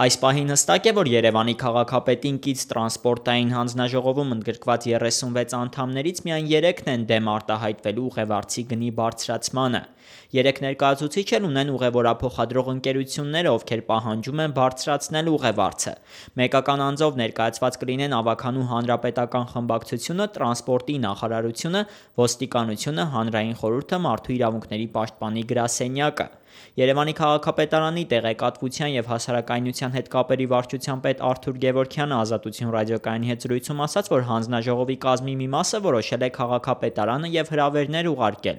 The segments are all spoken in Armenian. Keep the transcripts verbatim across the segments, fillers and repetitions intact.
Այս պահին հստակ է, որ Երևանի քաղաքապետին կից տրանսպորտային հանձնաժողովում ընդգրկված երեսունվեց անդամներից միայն երեքն են դեմ արտահայտվելու ուղևորցի գնի բարձրացմանը։ Երեք ներկայացուցիչ էլ ունեն ուղևորափոխադրող ընկերությունները, ովքեր պահանջում են բարձրացնել ուղևորցը։ Մեկական անձով ներկայացված կլինեն ավագանու հանրապետական խմբակցությունը, տրանսպորտի նախարարությունը, ոստիկանությունը, հանրային խորհուրդը, մարդու իրավունքների պաշտպանի գրասենյակը։ Երևանի քաղաքապետարանի տեղեկատվության և հասարակայնության հետ կապերի վարչության պետ Արթուր Գևորգյանը Ազատություն ռադիոկայանի հետ զրույցում ասաց, որ հանձնաժողովի կազմի մի մասը որոշել է քաղաքապետարանը և հրավերներ ուղարկել։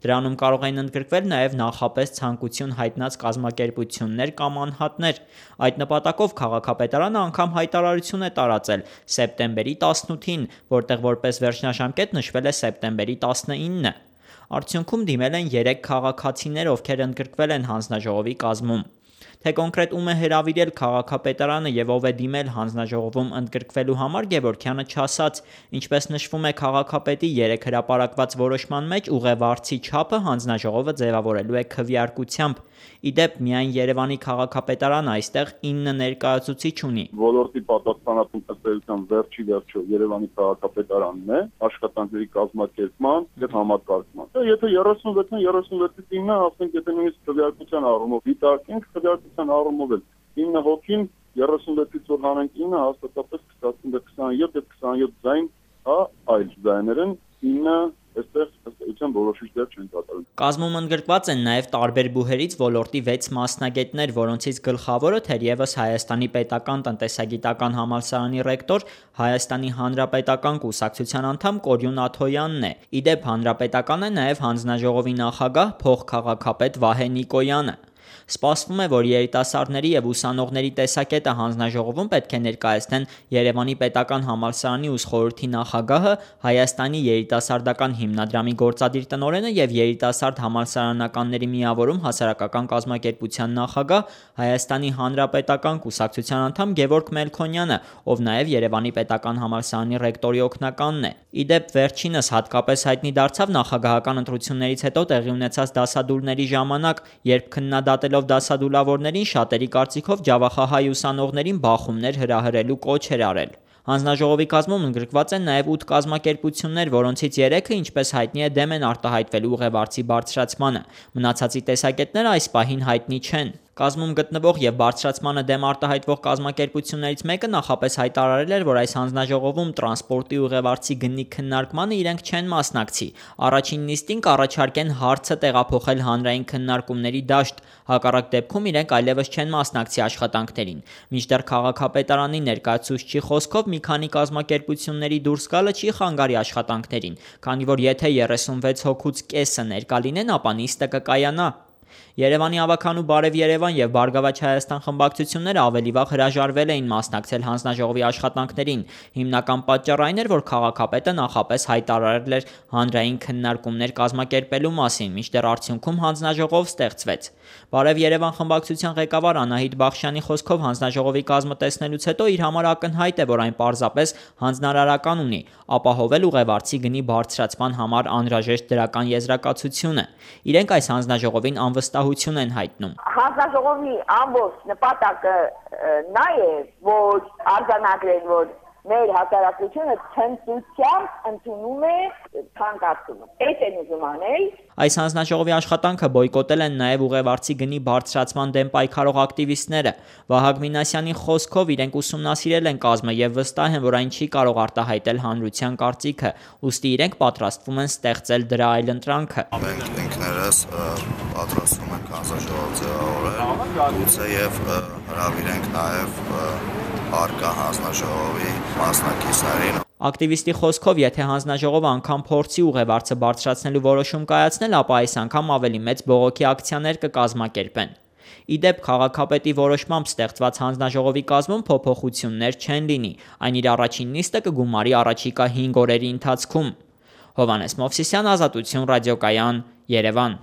Դրանում կարող են ընդգրկվել նաև նախապես ցանկություն հայտնած կազմակերպություններ կամ անհատներ։ Այդ նպատակով քաղաքապետարանը անգամ հայտարարություն է տարածել սեպտեմբերի տասնութին, որտեղ որպես վերջնաժամկետ նշվել է սեպտեմբերի տասնինը։ Արդյունքում դիմել են երեք քաղաքացիներ, ովքեր ընդգրկվել են հանձնաժողովի կազմում։ Թե կոնկրետ ում է հրավիրել քաղաքապետարանը և ով է դիմել հանձնաժողովում ընդգրկվելու համար, Գևորգյանը չասաց։ Ինչպես նշվում է քաղաքապետի երեկ հրապարակված որոշման մեջ, ուղևորցի չափը հանձնաժողովը ձևավորելու է քվեարկությամբ։ Ի դեպ, միայն Երևանի քաղաքապետարանը այստեղ ինը ներկայացուցիչ ունի։ Ոլորտի պատասխանատուն ըստ վերջի վերջո Երևանի քաղաքապետարանն է աշխատանքների կազմակերպման եւ համակարգման։ Եթե երեսունվեցն երեսունվեցից ինը, ասենք, եթե նույնիսկ քվեարկության առումով դիտարկենք, քվեարկության առումով էլ ինը հոգին երեսունվեցից որ հանենք ինը, հաստատապես կստացվի քսաներկու քսաներկու ձայն, հա, այլ ձայներն ինը այստեղ ըստ որոշիչ դեր չեն կատարում։ Կազմում ընդգրկված են նաև տարբեր բուհերից ոլորտի վեց մասնագետներ, որոնցից գլխավորը թերևս Հայաստանի պետական տնտեսագիտական համալսարանի ռեկտոր, Հայաստանի հանրապետական կուսակցության անդամ Կորյուն Աթոյանն է։ Ի դեպ, հանրապետական է նաև հանձնաժողովի նախագահ, փոխքաղաքապետ Վահե Նիկոյանը։ Սպասվում է, որ երիտասարդների և ուսանողների տեսակետը հանձնաժողովում պետք է ներկայացնեն Երևանի պետական համալսարանի ուսխորհրդի նախագահը, Հայաստանի երիտասարդական հիմնադրամի գործադիր տնօրենը և երիտասարդ համալսարանականների միավորում հասարակական կազմակերպության նախագահ, Հայաստանի հանրապետական կուսակցության անդամ Գևորգ Մելքոնյանը, ով նաև Երևանի պետական համալսարանի ռեկտորի օգնականն է։ Ի դեպ, վերջինս հատկապես հայտնի դարձավ նախագահական ընտրություններից հետո տեղի ունեցած դասադուլների ժամանակ, երբ քննադատելով դասադուլավորներին շատերի կարծիքով ջավախահայ ուսանողներին բախումներ հրահրելու կոչ էր արել։ Հանձնաժողովի կազմում ընդգրկված են նաև ութ կազմակերպություններ, որոնցից երեքը, ինչպես հայտնի է, դեմ են արտահայտվելու ուղևորցի բարձրացմանը։ Մնացածի տեսակետները այս պահին հայտնի չեն։ Կազմում գտնվող և բարձրացմանը դեմ արտահայտվող կազմակերպություններից մեկը նախապես հայտարարել էր, որ այս հանձնաժողովում տրանսպորտի ուղևորցի գնի քննարկմանը իրենք չեն մասնակցի։ Առաջին նիստին կառաջարկեն հարցը տեղափոխել հանրային քննարկումների դաշտ, հակառակ դեպքում իրենք այլևս չեն մասնակցի աշխատանքներին։ Մինչդեռ քաղաքապետարանի ներկայացուցչի խոսքով մի քանի կազմակերպությունների դուրս գալը չի խանգարի աշխատանքներին, քանի որ եթե երեսունվեց հոգուց կեսը ներկա լինեն, ապա նիստը կկայանա։ Երևանի ավագանու Բարև Երևան և Բարգավաճ Հայաստան խմբակցությունները ավելի վաղ հրաժարվել էին մասնակցել հանձնաժողովի աշխատանքներին։ Հիմնական պատճառը այն էր, որ քաղաքապետը նախապես հայտարարել էր հանրային քննարկումներ կազմակերպելու մասին, մինչդեռ արդյունքում հանձնաժողով ստեղծվեց։ Բարև Երևան խմբակցության ղեկավար Անահիտ Բախշյանի խոսքով հանձնաժողովի կազմը տեսնելուց հետո իր համար ակնհայտ է, որ այն պարզապես հանձնարարական ունի ապահովել ուղևորցի գնի բարձրացման համար անհրաժեշտ դրական եզրակացությունը։ Իրենք այս հանձնաժողովին անվստահություն են հայտնում։ Հանձնաժողովի ամբողջ նպատակը նա է, որ արձանագրել, որ մեր հասարակությունը ցնծությամբ ընդունում է ցանկացումը։ Այդ են ուզում անել։ Այս հանձնաժողովի աշխատանքը բոյկոտել են նաև ուղևորցի գնի բարձրացման դեմ պայքարող ակտիվիստները։ Վահագն Մինասյանի խոսքով իրենք ուսումնասիրել են կազմը եւ վստահ են, որ այն չի կարող արտահայտել հանրության կարծիքը, ուստի իրենք պատրաստվում են ստեղծել դրա այլընտրանքը։ Մենք ինքներս պատրաստվում ենք հանձնաժողով ձևավորել, գուցե եւ հրավիրենք նաև արկա հանձնաժողովի մասնակիցներին։ Ակտիվիստի խոսքով, եթե հանձնաժողովը անգամ փորձի ուղևորցը բարձրացնելու որոշում կայացնել, ապա այս անգամ ավելի մեծ բողոքի ակցիաներ կկազմակերպեն։ Ի դեպ, քաղաքապետի որոշմամբ ստեղծված հանձնաժողովի կազմում փոփոխություններ չեն լինի։ Այն իր առաջին նիստը կգումարի առաջիկա հինգ օրերի ընթացքում։ Հովհաննես Մովսիսյան, Ազատություն ռադիոկայան, Երևան։